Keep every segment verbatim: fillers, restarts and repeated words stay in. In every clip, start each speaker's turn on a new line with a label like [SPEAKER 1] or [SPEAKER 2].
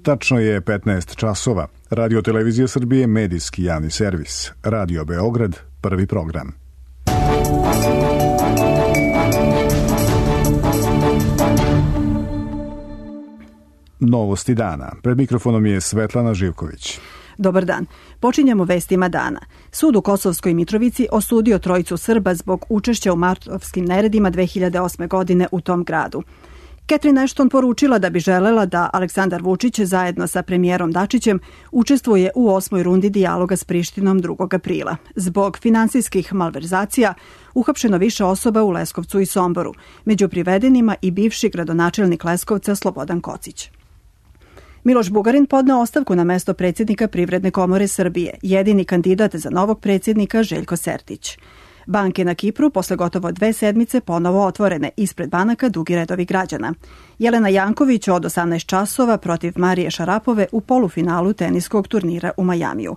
[SPEAKER 1] Tačno je petnaest časova. Radio Televizija Srbije, medijski javni servis. Radio Beograd, prvi program. Novosti dana. Pred mikrofonom je Svetlana Živković.
[SPEAKER 2] Dobar dan. Počinjemo vestima dana. Sud u Kosovskoj Mitrovici osudio trojicu Srba zbog učešća u martovskim neredima dve hiljade osme. godine u tom gradu. Catherine Ashton poručila da bi želela da Aleksandar Vučić zajedno sa premijerom Dačićem učestvuje u osmoj rundi dijaloga s Prištinom drugog aprila. Zbog finansijskih malverzacija uhapšeno više osoba u Leskovcu i Somboru. Među privedenima i bivši gradonačelnik Leskovca Slobodan Kocić. Miloš Bugarin podneo ostavku na mesto predsjednika Privredne komore Srbije, jedini kandidat za novog predsjednika Željko Sertić. Banke na Kipru posle gotovo dve sedmice ponovo otvorene, ispred banaka dugi redovi građana. Jelena Janković od osamnaest časova protiv Marije Šarapove u polufinalu teniskog turnira u Majamiju.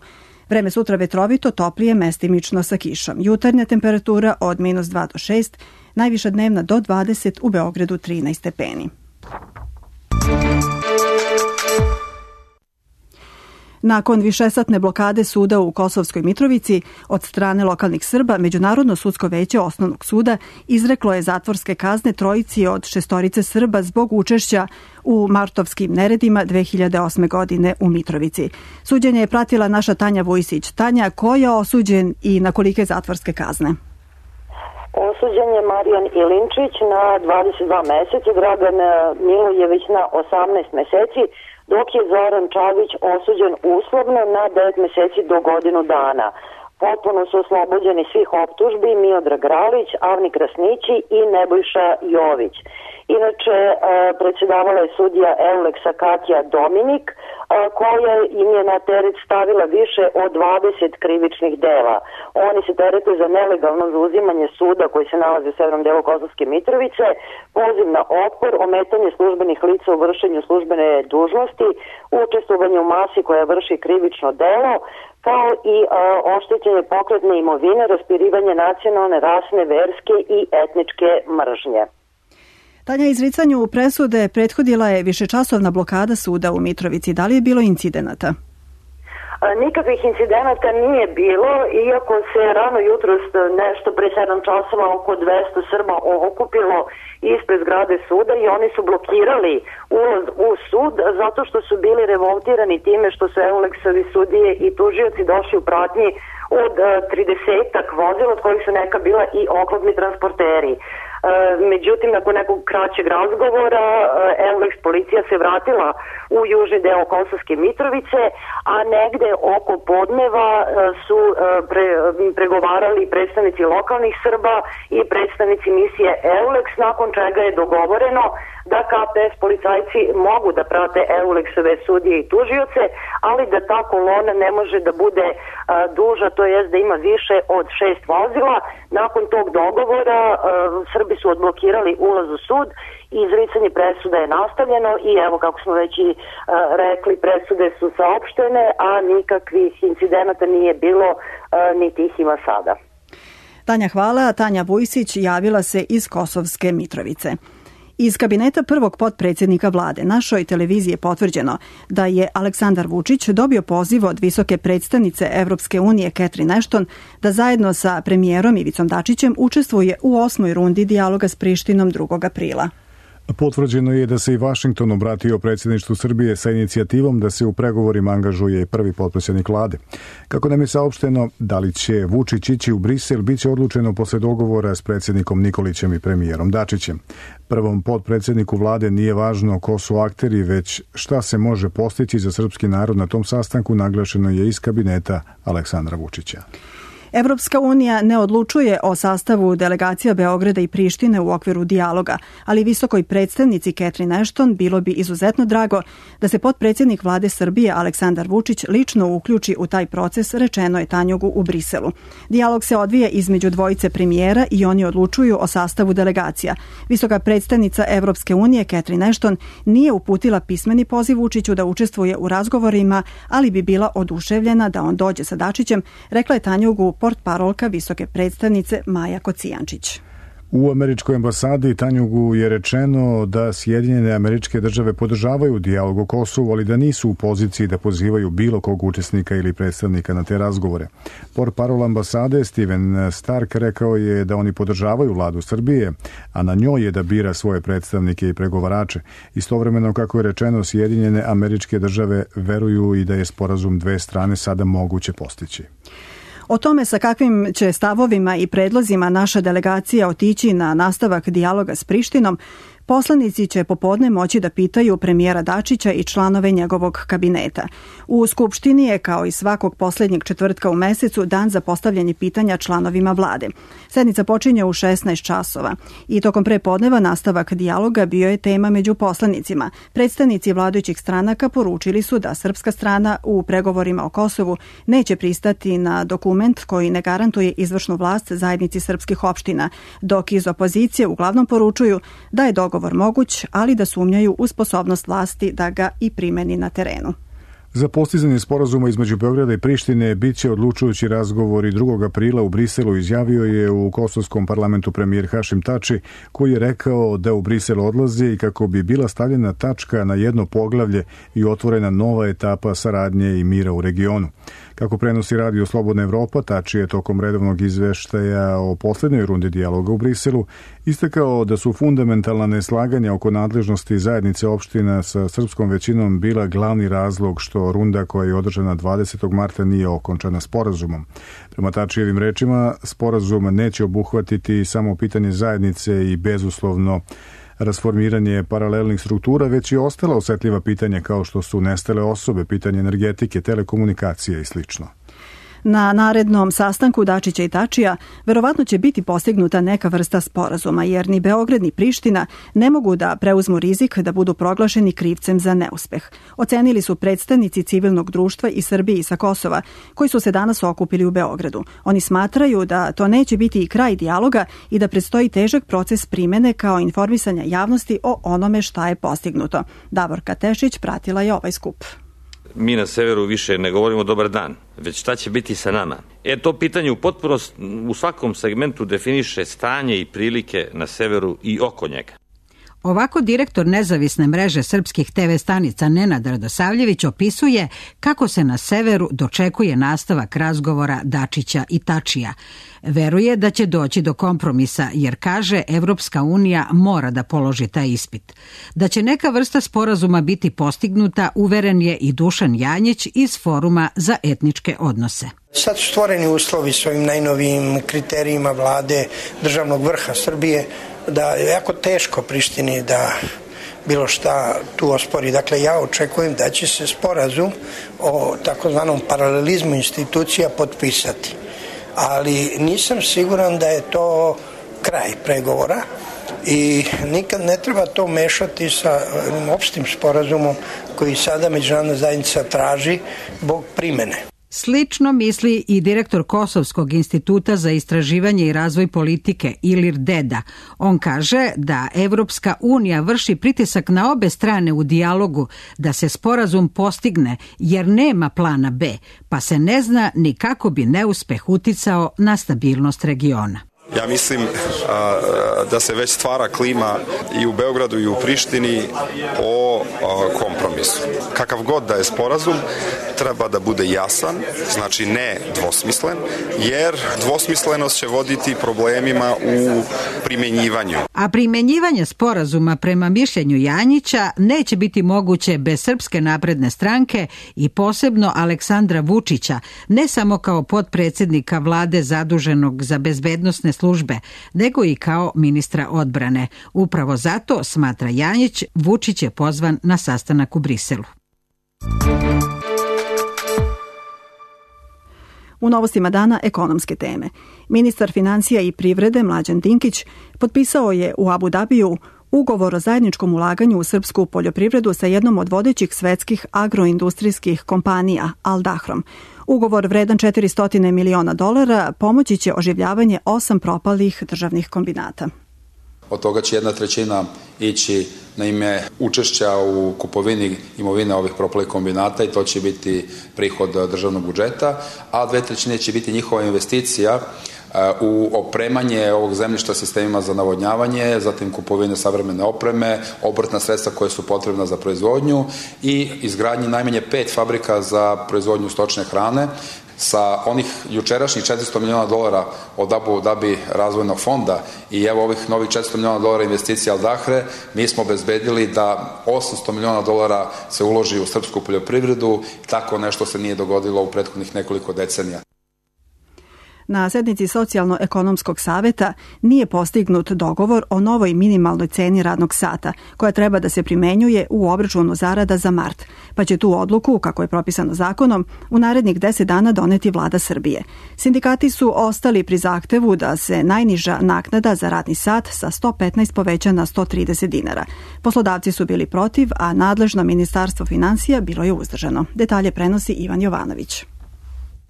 [SPEAKER 2] Vreme sutra vetrovito, toplije, mestimično sa kišom. Jutarnja temperatura od minus dva do šest, najviša dnevna do dvadeset, u Beogradu trinaest stepeni. Nakon višesatne blokade suda u Kosovskoj Mitrovici od strane lokalnih Srba, Međunarodno sudsko veće Osnovnog suda izreklo je zatvorske kazne trojici od šestorice Srba zbog učešća u martovskim neredima dve hiljade osme. godine u Mitrovici. Suđenje je pratila naša Tanja Vujsić. Tanja, ko je osuđen i na kolike zatvorske kazne?
[SPEAKER 3] Osuđen je Marijan Ilinčić na dvadeset dva meseca, Dragan Milojević na osamnaest meseci, dok je Zoran Čavić osuđen uslovno na devet meseci do godinu dana. Potpuno su oslobođeni svih optužbi Miodrag Ralić, Avni Krasnići i Nebojša Jović. Inače, predsjedavala je sudija Euleksa Katja Dominik, koja im je na teret stavila više od dvadeset krivičnih dela. Oni se terete za nelegalno zauzimanje suda koji se nalazi u severnom delu Kosovske Mitrovice, poziv na otpor, ometanje službenih lica u vršenju službene dužnosti, učestvovanje u masi koja vrši krivično delo, kao i a, oštećenje pokretne imovine, raspirivanje nacionalne, rasne, verske i etničke mržnje.
[SPEAKER 2] Tanja, izricanju presude prethodila je višečasovna blokada suda u Mitrovici. Da li je bilo incidenata?
[SPEAKER 3] Nikakvih incidenata nije bilo, iako se rano jutros nešto pre sedam časova oko dvesta Srba okupilo ispred zgrade suda i oni su blokirali ulaz u sud zato što su bili revoltirani time što su Euleksovi sudije i tužioci došli u pratnji od tridesetak vozila, od kojih su neka bila i oklopni transporteri. Međutim, nakon nekog kraćeg razgovora, Euleks policija se vratila u južni deo Kosovske Mitrovice, a negde oko podneva su pre, pregovarali predstavnici lokalnih Srba i predstavnici misije Euleks, nakon čega je dogovoreno da K P S policajci mogu da prate Euleksove sudije i tužioce, ali da ta kolona ne može da bude a, duža, to jest da ima više od šest vozila. Nakon tog dogovora a, Srbi su odblokirali ulaz u sud i izricanje presuda je nastavljeno i evo kako smo već i a, rekli, presude su saopštene, a nikakvih incidenata nije bilo, a, niti ih ima sada.
[SPEAKER 2] Tanja, hvala. Tanja Vujsić javila se iz Kosovske Mitrovice. Iz kabineta prvog potpredsjednika vlade našoj televiziji je potvrđeno da je Aleksandar Vučić dobio poziv od visoke predstavnice Evropske unije Catherine Ashton da zajedno sa premijerom Ivicom Dačićem učestvuje u osmoj rundi dijaloga s Prištinom drugog aprila.
[SPEAKER 1] Potvrđeno je da se i Vašington obratio predsjedništvu Srbije sa inicijativom da se u pregovorima angažuje prvi potpredsjednik vlade. Kako nam je saopšteno, da li će Vučić ići u Brisel, bit će odlučeno posle dogovora s predsjednikom Nikolićem i premijerom Dačićem. Prvom potpredsjedniku vlade nije važno ko su akteri, već šta se može postići za srpski narod na tom sastanku, naglašeno je iz kabineta Aleksandra Vučića.
[SPEAKER 2] Evropska unija ne odlučuje o sastavu delegacija Beograda i Prištine u okviru dijaloga, ali visokoj predstavnici Catherine Ashton bilo bi izuzetno drago da se potpredsjednik vlade Srbije Aleksandar Vučić lično uključi u taj proces, rečeno je Tanjugu u Briselu. Dijalog se odvija između dvojice premijera i oni odlučuju o sastavu delegacija. Visoka predstavnica Evropske unije Catherine Ashton nije uputila pismeni poziv Vučiću da učestvuje u razgovorima, ali bi bila oduševljena da on dođe sa Dačićem, rekla je Tanjugu portparolka visoke predstavnice Maja Kocijančić.
[SPEAKER 1] U američkoj ambasadi Tanjugu je rečeno da Sjedinjene Američke Države podržavaju dijalog o Kosovu, ali da nisu u poziciji da pozivaju bilo kog učesnika ili predstavnika na te razgovore. Portparol ambasade Steven Stark rekao je da oni podržavaju vladu Srbije, a na njoj je da bira svoje predstavnike i pregovarače. Istovremeno, kako je rečeno, Sjedinjene Američke Države veruju i da je sporazum dve strane sada moguće postići.
[SPEAKER 2] O tome sa kakvim će stavovima i predlozima naša delegacija otići na nastavak dijaloga s Prištinom, poslanici će popodne moći da pitaju premijera Dačića i članove njegovog kabineta. U Skupštini je, kao i svakog poslednjeg četvrtka u mesecu, dan za postavljanje pitanja članovima vlade. Sednica počinje u šesnaest časova i tokom prepodneva nastavak dijaloga bio je tema među poslanicima. Predstavnici vladajućih stranaka poručili su da srpska strana u pregovorima o Kosovu neće pristati na dokument koji ne garantuje izvršnu vlast zajednici srpskih opština, dok iz opozicije uglavnom poručuju da je dogovor moguć, ali da sumnjaju u sposobnost vlasti da ga i primeni na terenu.
[SPEAKER 1] Za postizanje sporazuma između Beograda i Prištine biće odlučujući razgovor i drugog aprila u Briselu, izjavio je u kosovskom parlamentu premijer Hašim Tači, koji je rekao da u Brisel odlazi i kako bi bila stavljena tačka na jedno poglavlje i otvorena nova etapa saradnje i mira u regionu. Kako prenosi Radio Slobodna Evropa, Tači je tokom redovnog izveštaja o poslednjoj rundi dijaloga u Briselu istakao da su fundamentalna neslaganja oko nadležnosti zajednice opština sa srpskom većinom bila glavni razlog što runda koja je održana dvadesetog marta nije okončana sporazumom. Prema Tačijevim rečima, sporazum neće obuhvatiti samo pitanje zajednice i bezuslovno rasformiranje paralelnih struktura, već i ostala osetljiva pitanja kao što su nestale osobe, pitanje energetike, telekomunikacije i slično.
[SPEAKER 2] Na narednom sastanku Dačića i Tačija verovatno će biti postignuta neka vrsta sporazuma, jer ni Beograd ni Priština ne mogu da preuzmu rizik da budu proglašeni krivcem za neuspeh. Ocenili su predstavnici civilnog društva i Srbije i sa Kosova, koji su se danas okupili u Beogradu. Oni smatraju da to neće biti i kraj dijaloga i da predstoji težak proces primene kao informisanja javnosti o onome šta je postignuto. Davorka Tešić pratila je ovaj skup.
[SPEAKER 4] Mi na severu više ne govorimo dobar dan, već šta će biti sa nama. E, to pitanje u potpunosti u svakom segmentu definiše stanje i prilike na severu i oko njega.
[SPEAKER 5] Ovako direktor nezavisne mreže srpskih te ve stanica Nenad Radosavljević opisuje kako se na severu dočekuje nastavak razgovora Dačića i Tačija. Veruje da će doći do kompromisa jer, kaže, Evropska unija mora da položi taj ispit. Da će neka vrsta sporazuma biti postignuta, uveren je i Dušan Janjić iz Foruma za etničke odnose.
[SPEAKER 6] Sad su stvoreni uslovi s ovim najnovijim kriterijima vlade državnog vrha Srbije da je jako teško Prištini da bilo šta tu ospori. Dakle, ja očekujem da će se sporazum o takozvanom paralelizmu institucija potpisati. Ali nisam siguran da je to kraj pregovora i nikad ne treba to mešati sa opštim sporazumom koji sada međunarodna zajednica traži zbog primene.
[SPEAKER 5] Slično misli i direktor Kosovskog instituta za istraživanje i razvoj politike Ilir Deda. On kaže da Evropska unija vrši pritisak na obe strane u dijalogu da se sporazum postigne jer nema plana B, pa se ne zna ni kako bi neuspeh uticao na stabilnost regiona.
[SPEAKER 7] Ja mislim a, da se već stvara klima i u Beogradu i u Prištini o a, kompromisu. Kakav god da je sporazum, treba da bude jasan, znači ne dvosmislen, jer dvosmislenost će voditi problemima u primenjivanju.
[SPEAKER 5] A primenjivanje sporazuma prema mišljenju Janjića neće biti moguće bez Srpske napredne stranke i posebno Aleksandra Vučića, ne samo kao potpredsjednika vlade zaduženog za bezbednosne službe, nego i kao ministra odbrane. Upravo zato, smatra Janjić, Vučić je pozvan na sastanak u Briselu.
[SPEAKER 2] U novostima dana ekonomske teme. Ministar financija i privrede Mlađan Dinkić potpisao je u Abu Dabiju ugovor o zajedničkom ulaganju u srpsku poljoprivredu sa jednom od vodećih svetskih agroindustrijskih kompanija, Al Dahrom. Ugovor vredan četiristo miliona dolara pomoći će oživljavanje osam propalih državnih kombinata.
[SPEAKER 8] Od toga će jedna trećina ići na ime učešća u kupovini imovine ovih propalih kombinata i to će biti prihod državnog budžeta, a dve trećine će biti njihova investicija u opremanje ovog zemljišta sistemima za navodnjavanje, zatim kupovine savremene opreme, obrtna sredstva koje su potrebna za proizvodnju i izgradnje najmanje pet fabrika za proizvodnju stočne hrane. Sa onih jučerašnjih četiristo miliona dolara od Abu Dhabi razvojnog fonda i evo ovih novih četiristo miliona dolara investicija Al Dahre, mi smo obezbedili da osamsto miliona dolara se uloži u srpsku poljoprivredu. Tako nešto se nije dogodilo u prethodnih nekoliko decenija.
[SPEAKER 2] Na sednici Socijalno-ekonomskog saveta nije postignut dogovor o novoj minimalnoj ceni radnog sata, koja treba da se primenjuje u obračunu zarada za mart, pa će tu odluku, kako je propisano zakonom, u narednih deset dana doneti vlada Srbije. Sindikati su ostali pri zahtevu da se najniža naknada za radni sat sa sto petnaest poveća na sto trideset dinara. Poslodavci su bili protiv, a nadležno Ministarstvo finansija bilo je uzdržano. Detalje prenosi Ivan Jovanović.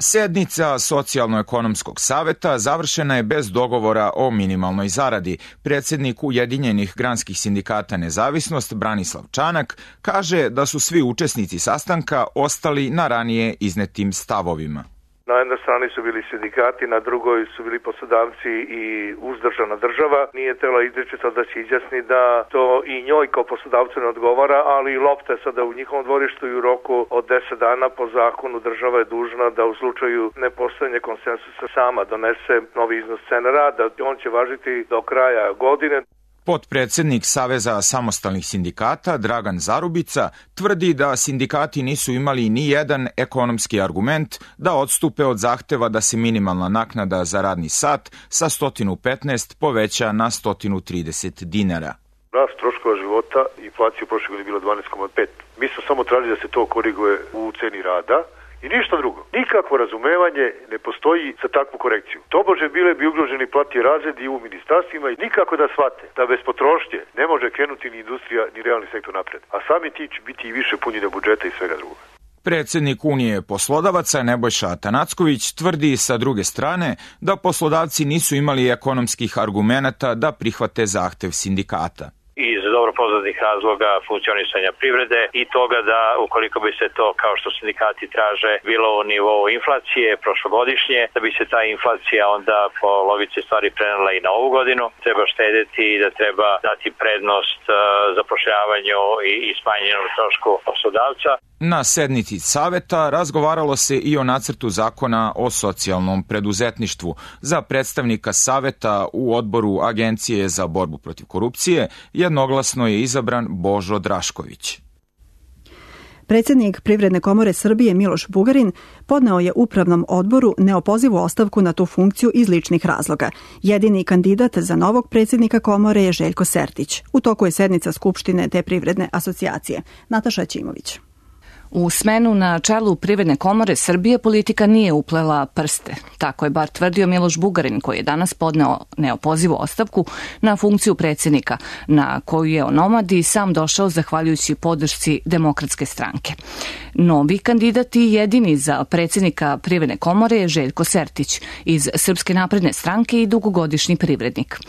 [SPEAKER 9] Sednica Socijalno-ekonomskog saveta završena je bez dogovora o minimalnoj zaradi. Predsjednik Ujedinjenih granskih sindikata Nezavisnost Branislav Čanak kaže da su svi učesnici sastanka ostali na ranije iznetim stavovima.
[SPEAKER 10] Na jednoj strani su bili sindikati, na drugoj su bili poslodavci i uzdržana država. Nije tela izričito da se izjasni da to i njoj kao poslodavcu ne odgovara, ali lopta je sada u njihovom dvorištu i u roku od deset dana po zakonu država je dužna da u slučaju nepostojanja konsensusa sama donese novi iznos cene rada. On će važiti do kraja godine.
[SPEAKER 9] Potpredsednik Saveza samostalnih sindikata Dragan Zarubica tvrdi da sindikati nisu imali ni jedan ekonomski argument da odstupe od zahteva da se minimalna naknada za radni sat sa sto petnaest poveća na sto trideset dinara.
[SPEAKER 10] Rast troškova života i inflacija u prošle godine bila dvanaest zarez pet. Mi smo samo tražili da se to koriguje u ceni rada. I ništa drugo. Nikakvo razumevanje ne postoji za takvu korekciju. Tobože bile bi ugroženi platni razredi u ministarstvima i nikako da shvate da bez potrošnje ne može krenuti ni industrija ni realni sektor napred. A sami ti će biti i više punjenja budžeta i svega drugoga.
[SPEAKER 9] Predsjednik Unije poslodavaca Nebojša Atanacković tvrdi sa druge strane da poslodavci nisu imali ekonomskih argumenata da prihvate zahtev sindikata.
[SPEAKER 11] Iz dobro poznatih razloga funkcionisanja privrede i toga da ukoliko bi se to, kao što sindikati traže, bilo u nivou inflacije prošlogodišnje, da bi se ta inflacija onda po logici stvari prenela i na ovu godinu, treba štedeti i da treba dati prednost zapošljavanju i smanjenom trošku poslodavca.
[SPEAKER 9] Na sednici saveta razgovaralo se i o nacrtu zakona o socijalnom preduzetništvu. Za predstavnika saveta u odboru Agencije za borbu protiv korupcije jednoglasno je izabran Božo Drašković.
[SPEAKER 2] Predsjednik Privredne komore Srbije Miloš Bugarin podneo je upravnom odboru neopozivu ostavku na tu funkciju iz ličnih razloga. Jedini kandidat za novog predsjednika komore je Željko Sertić. U toku je sednica Skupštine te privredne asocijacije. Nataša Ćimović.
[SPEAKER 12] U smenu na čelu Privredne komore Srbije politika nije uplela prste. Tako je bar tvrdio Miloš Bugarin, koji je danas podneo neopozivu ostavku na funkciju predsjednika, na koju je onomad i sam došao zahvaljujući podršci Demokratske stranke. Novi kandidat i jedini za predsjednika Privredne komore je Željko Sertić iz Srpske napredne stranke i dugogodišnji privrednik.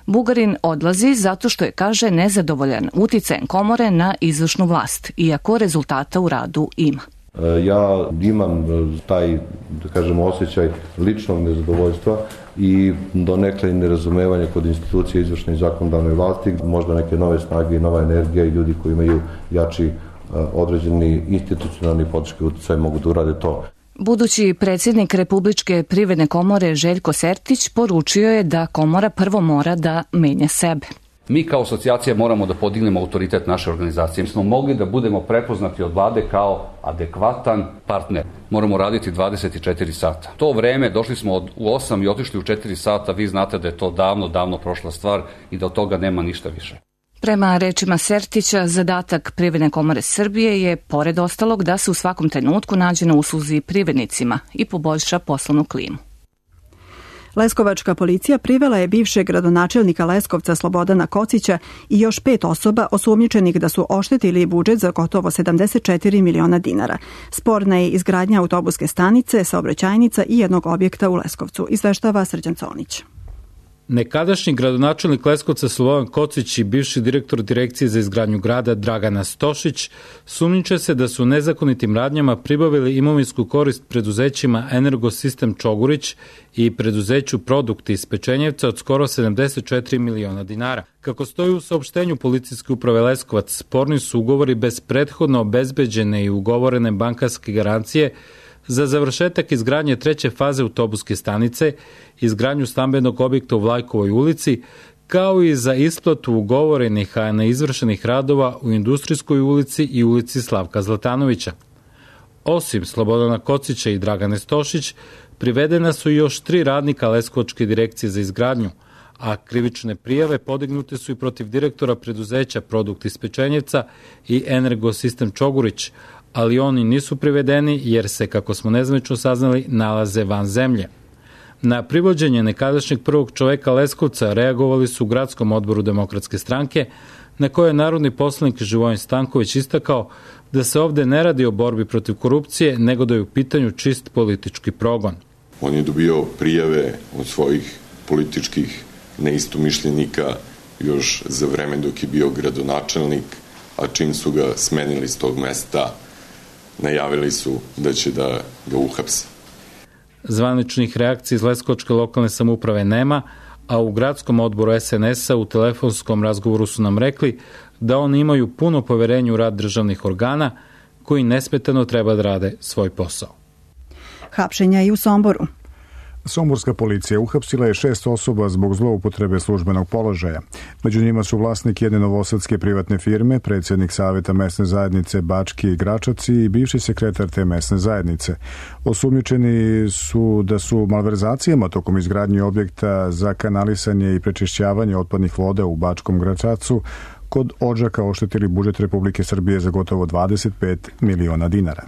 [SPEAKER 12] Bugarin odlazi zato što je, kaže, nezadovoljan uticajem komore na izvršnu vlast, iako rezultata u radu ima.
[SPEAKER 13] Ja imam taj, da kažemo, osjećaj ličnog nezadovoljstva i donekle nerazumevanja kod institucije izvršne i zakonodavne vlasti, možda neke nove snage i nova energija i ljudi koji imaju jači određeni institucionalni podrški uticaj mogu da urade to.
[SPEAKER 12] Budući predsjednik Republičke privredne komore Željko Sertić poručio je da komora prvo mora da menja sebe.
[SPEAKER 14] Mi kao asocijacija moramo da podignemo autoritet naše organizacije. Mi smo mogli da budemo prepoznati od vlade kao adekvatan partner. Moramo raditi dvadeset četiri sata. To vreme, došli smo od, u osam i otišli u četiri sata, vi znate da je to davno, davno prošla stvar i da od toga nema ništa više.
[SPEAKER 12] Prema rečima Sertića, zadatak Privredne komore Srbije je, pored ostalog, da se u svakom trenutku nađe na usluzi privrednicima i poboljša poslovnu klimu.
[SPEAKER 2] Leskovačka policija privela je bivšeg gradonačelnika Leskovca Slobodana Kocića i još pet osoba osumnjičenih da su oštetili budžet za gotovo sedamdeset četiri miliona dinara. Sporna je izgradnja autobuske stanice, saobraćajnica i jednog objekta u Leskovcu, izveštava Srđan Colnić.
[SPEAKER 15] Nekadašnji gradonačelnik Leskovca Slobodan Kocić i bivši direktor Direkcije za izgradnju grada Dragana Stošić sumnjiče se da su nezakonitim radnjama pribavili imovinsku korist preduzećima Energosistem Čogurić i preduzeću Produkti iz Pečenjevca od skoro sedamdeset četiri miliona dinara. Kako stoji u saopštenju Policijske uprave Leskovac, sporni su ugovori bez prethodno obezbeđene i ugovorene bankarske garancije za završetak izgradnje treće faze autobuske stanice, izgradnju stambenog objekta u Vlajkovoj ulici, kao i za isplatu ugovorenih, a neizvršenih radova u Industrijskoj ulici i ulici Slavka Zlatanovića. Osim Slobodana Kocića i Dragane Stošić, privedena su još tri radnika Leskovačke direkcije za izgradnju, a krivične prijave podignute su i protiv direktora preduzeća Produkt iz Pečenjevca i Energosistem Čogurić, ali oni nisu privedeni jer se, kako smo nezvanično saznali, nalaze van zemlje. Na privođenje nekadašnjeg prvog čoveka Leskovca reagovali su u gradskom odboru Demokratske stranke, na koje je narodni poslanik Živojin Stanković istakao da se ovde ne radi o borbi protiv korupcije, nego da je u pitanju čist politički progon.
[SPEAKER 16] On je dobio prijave od svojih političkih neistomišljenika još za vreme dok je bio gradonačelnik, a čim su ga smenili s tog mesta, najavili su da će da ga uhapse.
[SPEAKER 15] Zvaničnih reakcija iz Leskovačke lokalne samouprave nema, a u gradskom odboru es en es-a u telefonskom razgovoru su nam rekli da oni imaju puno poverenje u rad državnih organa koji nesmetano treba da rade svoj posao.
[SPEAKER 2] Hapšenja i u Somboru.
[SPEAKER 1] Somborska policija uhapsila je šest osoba zbog zloupotrebe službenog položaja. Među njima su vlasnik jedne novosadske privatne firme, predsjednik savjeta mesne zajednice Bački i Gračaci i bivši sekretar te mesne zajednice. Osumnjičeni su da su malverzacijama tokom izgradnje objekta za kanalisanje i prečišćavanje otpadnih voda u Bačkom Gračacu kod Odžaka oštetili budžet Republike Srbije za gotovo dvadeset pet miliona dinara.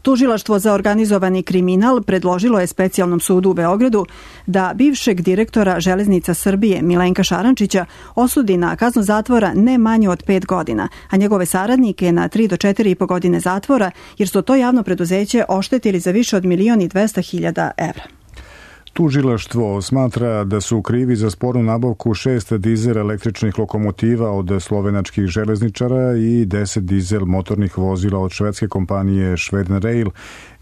[SPEAKER 2] Tužilaštvo za organizovani kriminal predložilo je specijalnom sudu u Beogradu da bivšeg direktora Železnica Srbije Milenka Šarančića osudi na kaznu zatvora ne manje od pet godina, a njegove saradnike na tri do četiri i po godine zatvora, jer su to javno preduzeće oštetili za više od milion i dvesta hiljada evra.
[SPEAKER 1] Tužilaštvo smatra da su krivi za spornu nabavku šest dizel električnih lokomotiva od slovenačkih železničara i deset dizel motornih vozila od švedske kompanije Schweden Rail,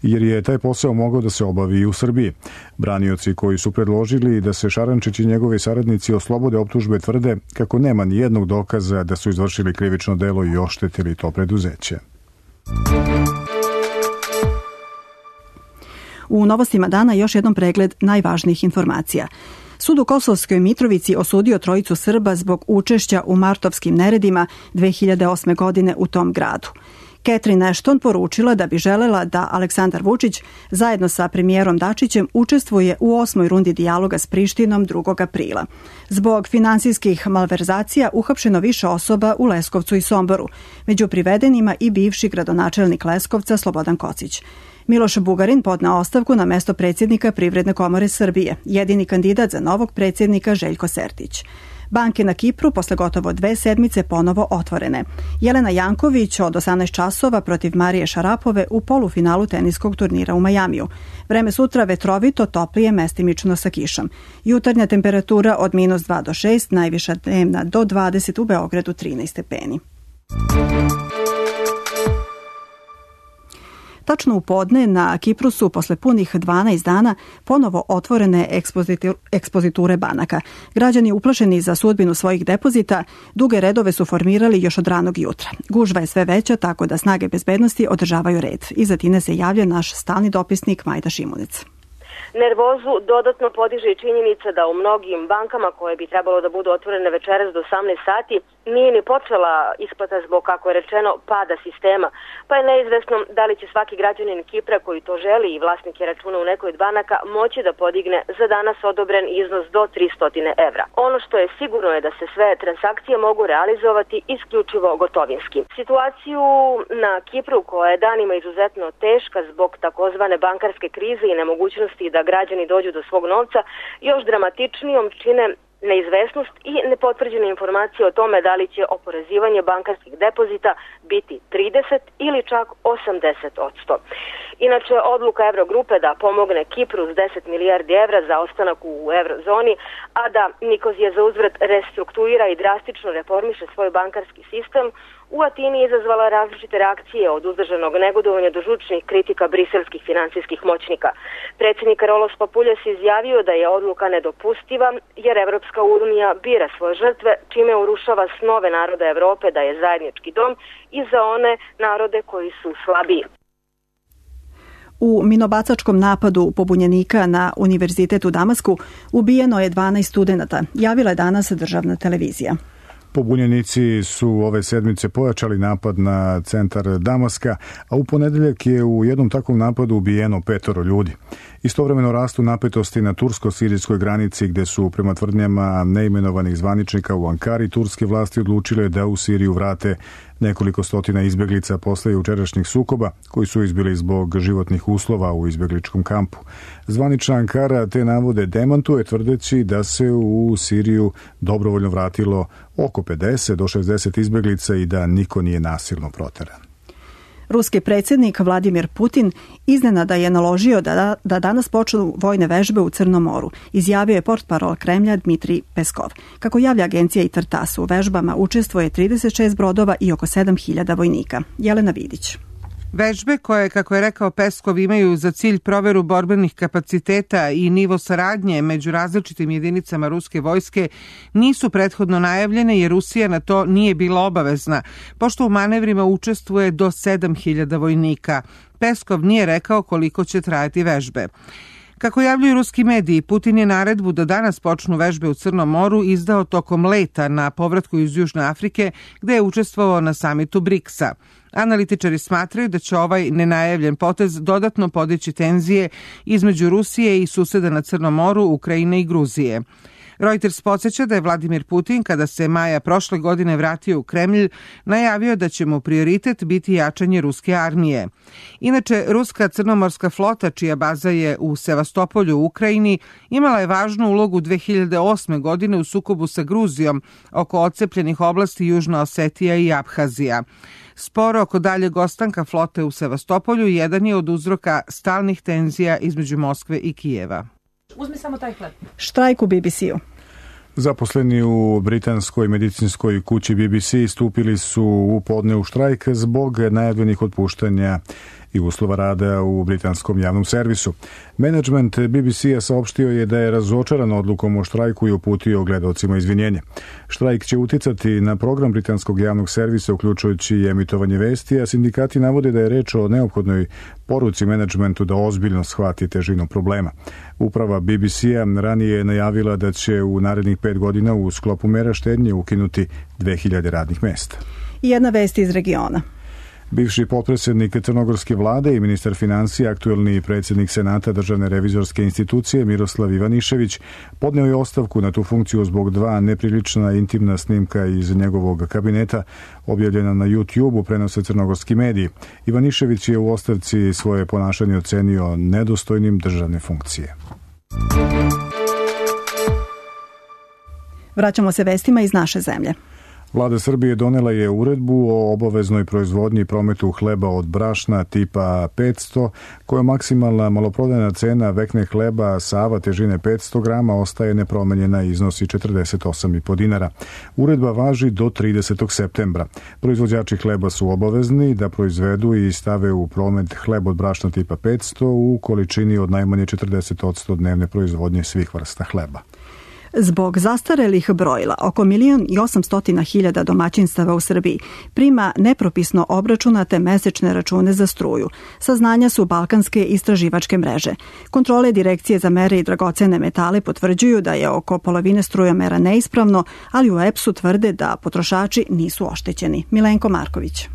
[SPEAKER 1] jer je taj posao mogao da se obavi i u Srbiji. Branioci koji su predložili da se Šarančić i njegovi saradnici oslobode optužbe tvrde kako nema ni jednog dokaza da su izvršili krivično delo i oštetili to preduzeće.
[SPEAKER 2] U novostima dana još jednom pregled najvažnijih informacija. Sud u Kosovskoj Mitrovici osudio trojicu Srba zbog učešća u martovskim neredima dve hiljade osme. godine u tom gradu. Catherine Ashton poručila da bi želela da Aleksandar Vučić zajedno sa premijerom Dačićem učestvuje u osmoj rundi dijaloga s Prištinom drugog aprila. Zbog finansijskih malverzacija uhapšeno više osoba u Leskovcu i Somboru. Među privedenima i bivši gradonačelnik Leskovca Slobodan Kocić. Miloš Bugarin podneo ostavku na mesto predsjednika Privredne komore Srbije, jedini kandidat za novog predsjednika Željko Sertić. Banke na Kipru posle gotovo dve sedmice ponovo otvorene. Jelena Janković od osamnaest časova protiv Marije Šarapove u polufinalu teniskog turnira u Majamiju. Vreme sutra vetrovito, toplije, mestimično sa kišom. Jutarnja temperatura od minus dva do šest, najviša dnevna do dvadeset, u Beogradu trinaest stepeni. Tačno u podne na Kipru su posle punih dvanaest dana ponovo otvorene ekspoziture banaka. Građani uplašeni za sudbinu svojih depozita duge redove su formirali još od ranog jutra. Gužva je sve veća, tako da snage bezbednosti održavaju red. Iza Tine se javlja naš stalni dopisnik Majda Šimunic.
[SPEAKER 17] Nervozu dodatno podiže i činjenica da u mnogim bankama koje bi trebalo da budu otvorene večeras do osamnaest sati nije ni počela isplata zbog, kako je rečeno, pada sistema, pa je neizvesno da li će svaki građanin Kipra koji to želi i vlasnik je računa u nekoj od banaka moći da podigne za danas odobren iznos do tristo evra. Ono što je sigurno je da se sve transakcije mogu realizovati isključivo gotovinski. Situaciju na Kipru, koja je danima izuzetno teška zbog takozvane bankarske krize i nemogućnosti da građani dođu do svog novca, još dramatičnijom čine neizvesnost i nepotvrđene informacije o tome da li će oporezivanje bankarskih depozita biti trideset ili čak osamdeset odsto. Inače, odluka Evrogrupe da pomogne Kipru s deset milijardi evra za ostanak u eurozoni, a da Nikozija za uzvrat restrukturira i drastično reformiše svoj bankarski sistem, u Atini izazvala različite reakcije od uzdržanog negodovanja do žučnih kritika briselskih finansijskih moćnika. Predsjednik Karolos Papuljas izjavio da je odluka nedopustiva jer Evropska unija bira svoje žrtve, čime urušava snove naroda Evrope da je zajednički dom i za one narode koji su slabiji.
[SPEAKER 2] U minobacačkom napadu pobunjenika na Univerzitet u Damasku ubijeno je dvanaest studenata, javila je danas državna televizija.
[SPEAKER 1] Pobunjenici su ove sedmice pojačali napad na centar Damaska, a u ponedeljak je u jednom takvom napadu ubijeno petoro ljudi. Istovremeno rastu napetosti na tursko-sirijskoj granici gde su prema tvrdnjama neimenovanih zvaničnika u Ankari turske vlasti odlučile da u Siriju vrate nekoliko stotina izbeglica posle jučerašnjih sukoba koji su izbili zbog životnih uslova u izbegličkom kampu. Zvanična Ankara te navode demantuje tvrdeći da se u Siriju dobrovoljno vratilo oko pedeset do šezdeset izbeglica i da niko nije nasilno proteran.
[SPEAKER 2] Ruski predsjednik Vladimir Putin iznenada je naložio da, da danas počnu vojne vežbe u Crnom moru, izjavio je portparol Kremlja Dmitrij Peskov. Kako javlja agencija I T R T A S, u vežbama učestvuje trideset šest brodova i oko sedam hiljada vojnika. Jelena Vidić.
[SPEAKER 18] Vežbe koje, kako je rekao Peskov, imaju za cilj proveru borbenih kapaciteta i nivo saradnje među različitim jedinicama ruske vojske nisu prethodno najavljene jer Rusija na to nije bila obavezna, pošto u manevrima učestvuje do sedam hiljada vojnika. Peskov nije rekao koliko će trajati vežbe. Kako javljaju ruski mediji, Putin je naredbu da danas počnu vežbe u Crnom moru izdao tokom leta na povratku iz Južne Afrike, gde je učestvovao na samitu briksa. Analitičari smatraju da će ovaj nenajavljen potez dodatno podići tenzije između Rusije i suseda na Crnom moru, Ukrajine i Gruzije. Reuters podsjeća da je Vladimir Putin, kada se maja prošle godine vratio u Kremlj, najavio da će mu prioritet biti jačanje ruske armije. Inače, ruska crnomorska flota, čija baza je u Sevastopolju u Ukrajini, imala je važnu ulogu dve hiljade osme. godine u sukobu sa Gruzijom oko odcepljenih oblasti Južna Osetija i Abhazija. Sporo oko daljeg ostanka flote u Sevastopolju jedan je od uzroka stalnih tenzija između Moskve i Kijeva.
[SPEAKER 2] Uzmi samo taj hleb. Štrajk u B B C-u.
[SPEAKER 1] Zaposleni u britanskoj medicinskoj kući B B C stupili su u podne u štrajk zbog najavljenih otpuštanja i uslova rada u britanskom javnom servisu. Menadžment B B C-a saopštio je da je razočaran odlukom o štrajku i uputio gledaocima izvinjenje. Štrajk će uticati na program britanskog javnog servisa, uključujući i emitovanje vesti, a sindikati navode da je reč o neophodnoj poruci menadžmentu da ozbiljno shvati težinu problema. Uprava B B C-a ranije je najavila da će u narednih pet godina u sklopu mera štednje ukinuti dve hiljade radnih mesta.
[SPEAKER 2] I jedna vest iz regiona.
[SPEAKER 1] Bivši potpredsjednik crnogorske vlade i ministar financija, aktuelni predsjednik Senata Državne revizorske institucije Miroslav Ivanišević podneo je ostavku na tu funkciju zbog dva neprilična intimna snimka iz njegovog kabineta objavljena na YouTube-u, prenose crnogorski mediji. Ivanišević je u ostavci svoje ponašanje ocenio nedostojnim državne funkcije.
[SPEAKER 2] Vraćamo se vestima iz naše zemlje.
[SPEAKER 1] Vlada Srbije donela je uredbu o obaveznoj proizvodnji i prometu hleba od brašna tipa petsto, koja maksimalna maloprodajna cena vekne hleba Sava težine petsto grama ostaje nepromenjena i iznosi četrdeset osam i po dinara. Uredba važi do tridesetog septembra. Proizvođači hleba su obavezni da proizvedu i stave u promet hleb od brašna tipa petsto u količini od najmanje četrdeset odsto dnevne proizvodnje svih vrsta hleba.
[SPEAKER 2] Zbog zastarelih brojila, oko milion i osamstotina hiljada domaćinstava u Srbiji prima nepropisno obračunate mesečne račune za struju. Saznanja su balkanske istraživačke mreže. Kontrole Direkcije za mere i dragocene metale potvrđuju da je oko polovine strujomera neispravno, ali u E P S-u tvrde da potrošači nisu oštećeni. Milenko Marković.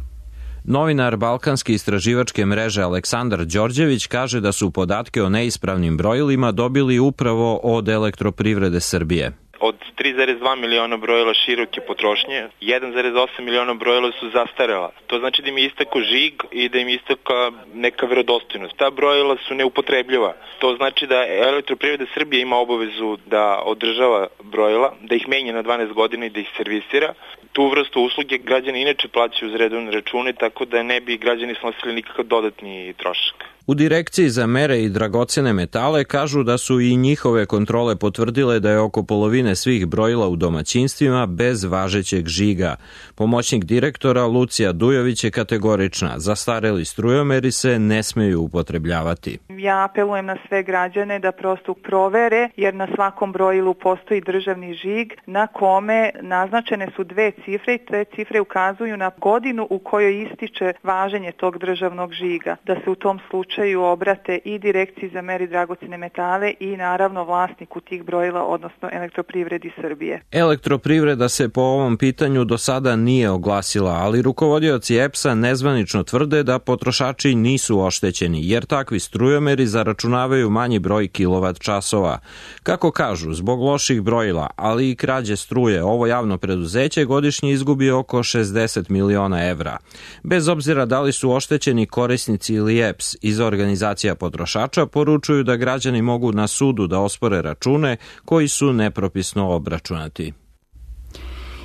[SPEAKER 19] Novinar balkanske istraživačke mreže Aleksandar Đorđević kaže da su podatke o neispravnim brojilima dobili upravo od Elektroprivrede Srbije.
[SPEAKER 20] od tri zarez dva miliona brojila široke potrošnje, jedan zarez osam miliona brojila su zastarela. To znači da im je istako žig i da im je istaka neka verodostojnost. Ta brojila su neupotrebljiva. To znači da Elektroprivreda Srbije ima obavezu da održava brojila, da ih menja na dvanaest godina i da ih servisira. Tu vrstu usluge građani inače plaćaju uz redovne račune, tako da ne bi građani snosili nikakav dodatni trošak.
[SPEAKER 19] U Direkciji za mere i dragocene metale kažu da su i njihove kontrole potvrdile da je oko polovine svih brojila u domaćinstvima bez važećeg žiga. Pomoćnik direktora Lucija Dujović je kategorična. Zastareli strujomeri se ne smeju upotrebljavati.
[SPEAKER 21] Ja apelujem na sve građane da prosto provere, jer na svakom brojilu postoji državni žig na kome naznačene su dve cifre i te cifre ukazuju na godinu u kojoj ističe važenje tog državnog žiga. Da se u tom slučaju obrate i Direkciji za mere i dragocene metale i naravno vlasniku tih brojila, odnosno Elektroprivredi Srbije.
[SPEAKER 19] Elektroprivreda se po ovom pitanju do sada nije oglasila, ali rukovodioci E P S-a nezvanično tvrde da potrošači nisu oštećeni, jer takvi strujomeri zaračunavaju manji broj kilovat časova. Kako kažu, zbog loših brojila, ali i krađe struje, ovo javno preduzeće godišnje izgubi oko šezdeset miliona evra. Bez obzira da li su oštećeni korisnici ili E P S, iz organizacija potrošača poručuju da građani mogu na sudu da ospore račune koji su nepropisno obračunati.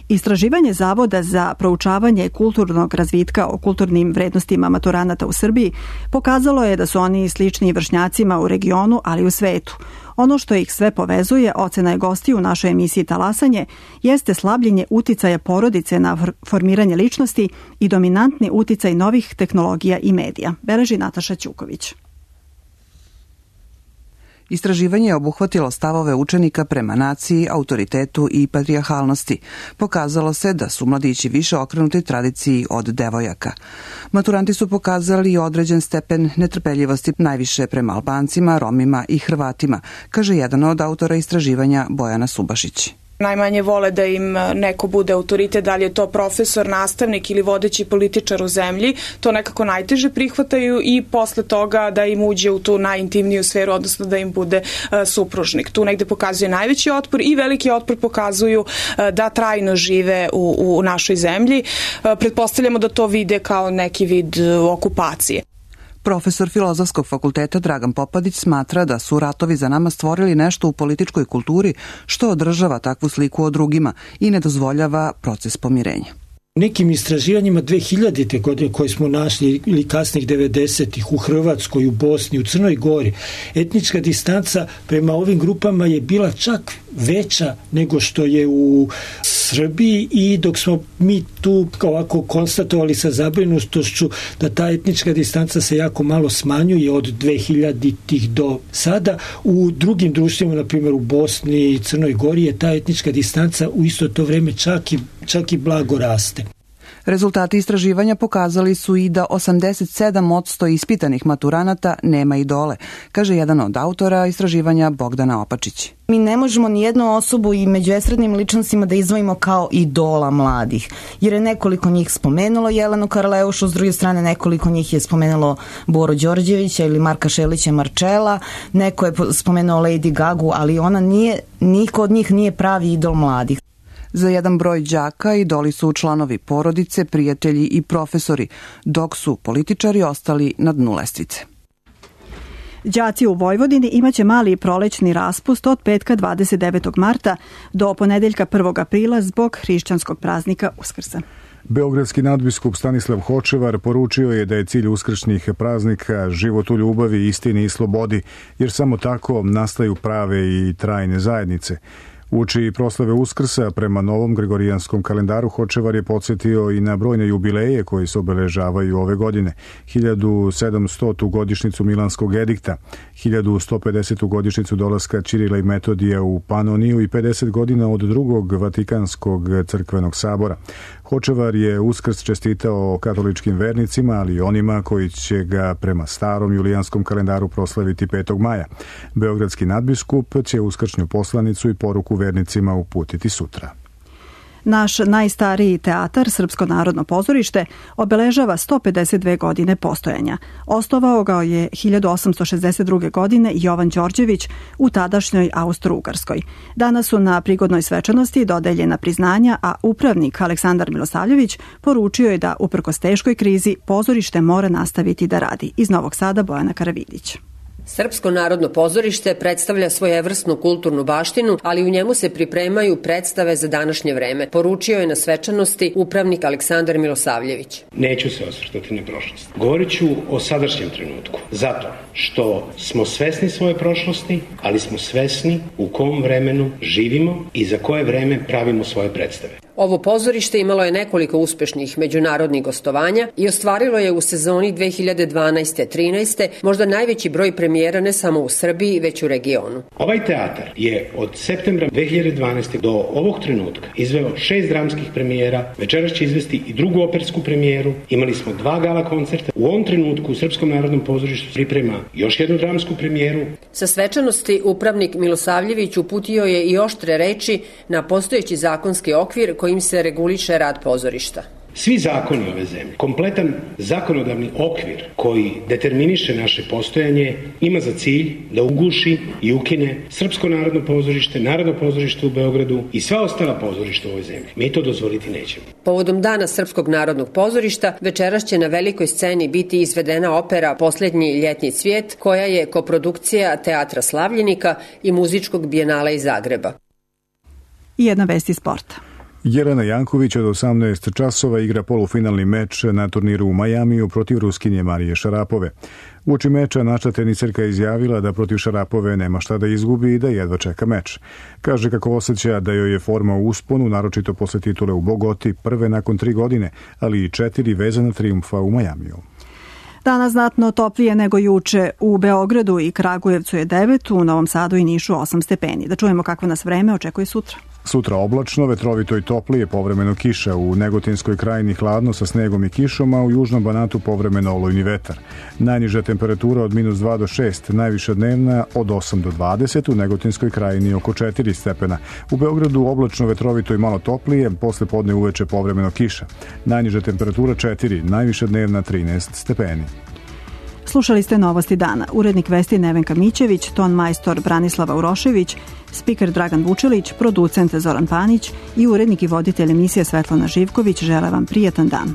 [SPEAKER 2] Istraživanje Zavoda za proučavanje kulturnog razvitka o kulturnim vrednostima maturanata u Srbiji pokazalo je da su oni slični vršnjacima u regionu, ali i u svetu. Ono što ih sve povezuje, ocena je gostiju u našoj emisiji Talasanje, jeste slabljenje uticaja porodice na formiranje ličnosti i dominantni uticaj novih tehnologija i medija, beleži Nataša Ćuković.
[SPEAKER 22] Istraživanje je obuhvatilo stavove učenika prema naciji, autoritetu i patrijarhalnosti. Pokazalo se da su mladići više okrenuti tradiciji od devojaka. Maturanti su pokazali određen stepen netrpeljivosti najviše prema Albancima, Romima i Hrvatima, kaže jedan od autora istraživanja Bojana Subašić.
[SPEAKER 23] Najmanje vole da im neko bude autoritet, da li je to profesor, nastavnik ili vodeći političar u zemlji, to nekako najteže prihvataju i posle toga da im uđe u tu najintimniju sferu, odnosno da im bude uh, supružnik. Tu negde pokazuje najveći otpor i veliki otpor pokazuju uh, da trajno žive u, u našoj zemlji. Uh, pretpostavljamo da to vide kao neki vid uh, okupacije.
[SPEAKER 22] Profesor Filozofskog fakulteta Dragan Popadić smatra da su ratovi za nama stvorili nešto u političkoj kulturi što održava takvu sliku o drugima i ne dozvoljava proces pomirenja.
[SPEAKER 24] Nekim istraživanjima dve hiljadite godine koje smo našli ili kasnih devedesetih u Hrvatskoj, u Bosni, u Crnoj Gori, etnička distanca prema ovim grupama je bila čak veća nego što je u Srbiji i dok smo mi tu ovako konstatovali sa zabrinutošću da ta etnička distanca se jako malo smanjuje od dve hiljaditih do sada, u drugim društvima, na primjer u Bosni i Crnoj Gori, je ta etnička distanca u isto to vreme čak i, čak i blago raste.
[SPEAKER 22] Rezultati istraživanja pokazali su i da osamdeset sedam posto ispitanih maturanata nema idole, kaže jedan od autora istraživanja Bogdana Opačić.
[SPEAKER 25] Mi ne možemo ni jednu osobu i među estradnim ličnostima da izdvojimo kao idola mladih, jer je nekoliko njih spomenulo Jelenu Karleušu, s druge strane nekoliko njih je spomenulo Boru Đorđevića ili Marka Šelića Marčela, neko je spomenuo Lady Gagu, ali ona nije, niko od njih nije pravi idol mladih.
[SPEAKER 22] Za jedan broj đaka idoli su članovi porodice, prijatelji i profesori, dok su političari ostali na dnu lestvice.
[SPEAKER 2] Đaci u Vojvodini imaće mali prolećni raspust od petka dvadeset devetog marta do ponedeljka prvog aprila zbog hrišćanskog praznika Uskrsa.
[SPEAKER 1] Beogradski nadbiskup Stanislav Hočevar poručio je da je cilj uskršnjih praznika život u ljubavi, istini i slobodi, jer samo tako nastaju prave i trajne zajednice. Uoči proslave Uskrsa prema novom gregorijanskom kalendaru Hočevar je podsjetio i na brojne jubileje koji se obeležavaju ove godine. hiljadu sedamstotu godišnjicu Milanskog edikta, hiljadu sto pedesetu godišnjicu dolaska Ćirila i Metodija u Panoniju i pedeset godina od drugog Vatikanskog crkvenog sabora. Hočevar je Uskrs čestitao katoličkim vernicima, ali i onima koji će ga prema starom julijanskom kalendaru proslaviti petog maja. Beogradski nadbiskup će uskršnju poslanicu i poruku vernicima uputiti sutra.
[SPEAKER 2] Naš najstariji teatar, Srpsko narodno pozorište, obeležava sto pedeset dve godine postojanja. Osnovao ga je hiljadu osamsto šezdeset druge. godine Jovan Đorđević u tadašnjoj Austro-Ugarskoj. Danas su na prigodnoj svečanosti dodeljena priznanja, a upravnik Aleksandar Milosavljević poručio je da, uprkos teškoj krizi, pozorište mora nastaviti da radi. Iz Novog Sada Bojana Karavidić.
[SPEAKER 3] Srpsko narodno pozorište predstavlja svojevrsnu kulturnu baštinu, ali u njemu se pripremaju predstave za današnje vreme, poručio je na svečanosti upravnik Aleksandar Milosavljević.
[SPEAKER 4] Neću se osvrtati na prošlost. Govorit ću o sadašnjem trenutku, zato što smo svesni svoje prošlosti, ali smo svesni u kom vremenu živimo i za koje vreme pravimo svoje predstave.
[SPEAKER 3] Ovo pozorište imalo je nekoliko uspešnih međunarodnih gostovanja i ostvarilo je u sezoni dve hiljade dvanaeste trinaeste možda najveći broj premijera ne samo u Srbiji, već u regionu.
[SPEAKER 4] Ovaj teatar je od septembra dve hiljade dvanaeste. do ovog trenutka izveo šest dramskih premijera, večeras će izvesti i drugu opersku premijeru, imali smo dva gala koncerta. U ovom trenutku u Srpskom narodnom pozorištu priprema još jednu dramsku premijeru.
[SPEAKER 3] Sa svečanosti upravnik Milosavljević uputio je i oštre reči na postojeći zakonski okvir kojim se reguliše rad pozorišta.
[SPEAKER 4] Svi zakoni ove zemlje, kompletan zakonodavni okvir koji determiniše naše postojanje, ima za cilj da uguši i ukine Srpsko narodno pozorište, Narodno pozorište u Beogradu i sva ostala pozorišta u ovoj zemlji. Mi to dozvoliti nećemo.
[SPEAKER 3] Povodom Dana Srpskog narodnog pozorišta večeras će na velikoj sceni biti izvedena opera Poslednji ljetni cvijet, koja je koprodukcija Teatra Slavljenika i Muzičkog bijenala iz Zagreba.
[SPEAKER 2] I jedna vest iz sporta.
[SPEAKER 1] Jelena Janković od osamnaest časova igra polufinalni meč na turniru u Majamiju protiv Ruskinje Marije Šarapove. Uoči meča naša teniserka izjavila da protiv Šarapove nema šta da izgubi i da jedva čeka meč. Kaže kako osjeća da joj je forma u usponu, naročito posle titule u Bogoti, prve nakon tri godine, ali i četiri vezana trijumfa u Majamiju.
[SPEAKER 2] Danas znatno toplije nego juče. U Beogradu i Kragujevcu je devet, u Novom Sadu i Nišu osam stepeni. Da čujemo kakvo nas vreme očekuje sutra.
[SPEAKER 1] Sutra oblačno, vetrovito i toplije, povremeno kiša. U Negotinskoj krajini hladno sa snegom i kišom, a u Južnom Banatu povremeno olujni vetar. Najniža temperatura od minus dva do šest, najviša dnevna od osam do dvadeset, u Negotinskoj krajini oko četiri stepena. U Beogradu oblačno, vetrovito i malo toplije, posle podne uveče povremeno kiša. Najniža temperatura četiri, najviša dnevna trinaest stepeni.
[SPEAKER 2] Slušali ste Novosti dana. Urednik vesti Nevenka Mićević, ton majstor Branislava Urošević, spiker Dragan Vučelić, producent Zoran Panić i urednik i voditelj emisije Svetlana Živković žele vam prijatan dan.